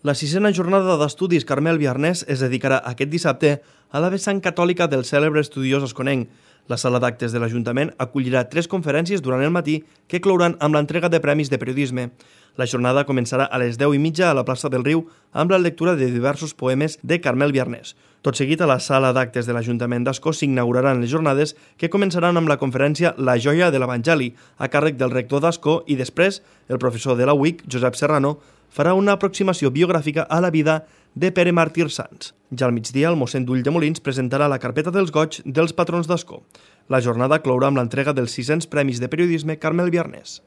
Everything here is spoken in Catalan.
La sisena jornada d'estudis Carmel Biarnès es dedicarà aquest dissabte a la vessant catòlica del cèlebre estudiós asconenc. La sala d'actes de l'Ajuntament acollirà 3 conferències durant el matí que clouran amb l'entrega de premis de periodisme. La jornada començarà a les 10:30 a la plaça del Riu amb la lectura de diversos poemes de Carmel Biarnès. Tot seguit, a la sala d'actes de l'Ajuntament d'Ascó s'inauguraran les jornades que començaran amb la conferència La joia de l'Evangeli, a càrrec del rector d'Ascó, i després el professor de la UIC, Josep Serrano, farà una aproximació biogràfica a la vida de Pere Màrtir Sans. Ja al migdia, el mossèn d'Ulldemolins presentarà la carpeta dels goigs dels patrons d'Ascó. La jornada clourà amb l'entrega dels 600 premis de periodisme Carmel Biarnès.